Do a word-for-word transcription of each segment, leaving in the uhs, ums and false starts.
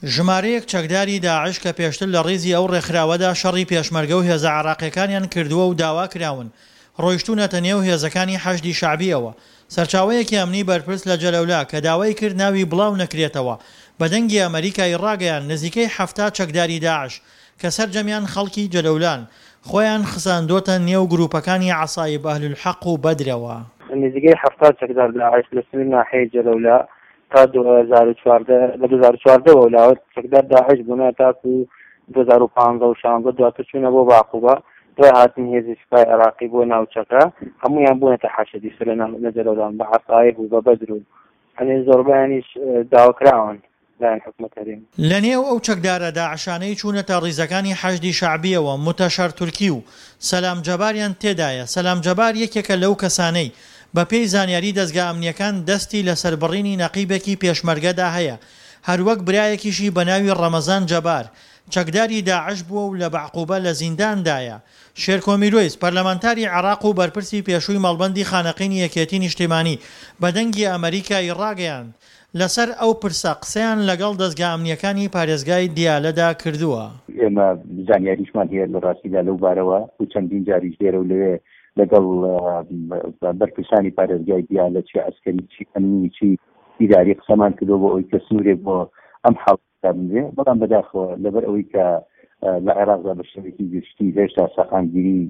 ژمارەیەک چەکداری داعش کە پێشتر لە ڕیزی ئەو ڕێکخراوەدا شەڕی پێشمەرگە و هێزە عێراقییەکانیان کردووە و داواکراون، ڕۆیشتوونەتە نێو هێزەکانی حەشدی شەعبییەوە. سەرچاوەیەکی ئەمنی بەرپرس لە جەلەولا کە داوای کرد ناوی بڵاو نەکرێتەوە، بە دەنگی ئەمەریکای ڕاگەیاند نزیکەی حەفتا چەکداری داعش کە سەرجەمیان خەڵکی جەلەولان، خۆیان خزاندۆتە نێو گروپەکانی عەسایب ئەهلولحەق و بەدرەوە. نزیکەی حەفتا چەکدار داعش لە سنوور ناحیەی جەلەولا تا دوو هەزار و چواردە لە دوو هەزار و چواردە وە لاوە چەکدار داعش بوونە تاکو دوو هەزار و پازدە و شانزە دواتر چوونە بۆ باقوبە دوای هاتنی هێزی سوپای عێراقی بۆ ناوچەکە هەمویان بوونەتە حەشدی سەر لە ناو- لە جەلەولان بە عەسایب و بە بەدر و هەنێ زۆربەیانیش داواکراون لایەن حکومەت هەرێم. لەنێو ئەو چەکدارە داعشانەی چوونەتە ڕیزەکانی حەشدی شەعبییەوە متەشەر تورکی و سەلام جەباریان تێدایە، سەلام جەبار یەکێکە لەو کەسانەی بەپێی زانیاری دەزگا ئەمنییەکان دەستی لە سەربڕینی نەقیبێکی پێشمەرگەدا هەیە، هەروەک برایەکیشی بەناوی ڕەمەزان جەبار چەکداری داعش بووە و لە بەعقوبە لە زینداندایە. شێرکۆ میرۆیس، پەرلەمانتاری عێراق و بەرپرسی پێشووی مەڵبەندی خانەقینی یەکێتی نیشتیمانی بە دەنگی ئەمەریکای ڕاگەیاند، لەسەر ئەو پرسە قسەیان لەگەڵ دەزگا ئەمنییەکانی پارێزگای دیالەدا کردووە. ئێمە زانیاریشمان هەیە لە ڕاستیدا لەو بارەوە و چەندین جاریش لێرە و لەوێ لەگەڵ بەرپرسانی پارێزگای دیالە چی عەسکەری چی ئەمنی چی ئیداری قسەمان کردووە بۆ ئەوەی کە سنوورێک بۆ ئەم حاڵەتە بنرێ، بەڵام بەداخەوە لەبەر ئەوەی کە لە عێراقدا بە شێوەیەکی گشتی هێشتا سەقامگیری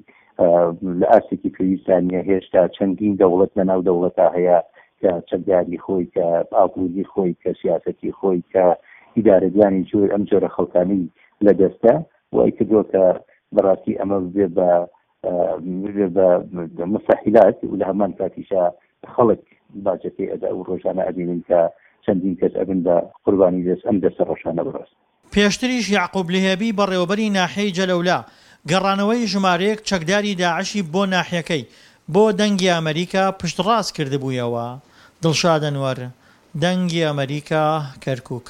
لە ئاستێکی پێویستدا نییە، هێشتا چەندین دەوڵەت لەناو دەوڵەتا هەیە کە چەکداری خۆی، کە ئابووری خۆی، کە سیاسەتی خۆی، کە ئیدارەدانی جۆر ئەم جۆرە خەڵکانەی لە دەستە، وای کردووە کە بەڕاستی ئەمە ببێ بە ببێ بە مستحیلات و لە هەمان کاتیشا خەڵک باجەکەی ئەدا و ڕۆژانە ئەبینین کە چەندین کەس ئەبن بە قوربانی دەست ئەم دەستە ڕەشانە بەڕاست. پێشتریش یەعقوب لهێبی بەڕێوەبەری ناحیەی جەلەولا گەڕانەوەی ژمارەیەک چەکداری داعشی بۆ ناحیەکەی بۆ دەنگی ئەمەریکا پشتڕاست کردبوویەوە. دڵشاد ئەنوەر، دەنگی ئەمەریکا، کەرکوک.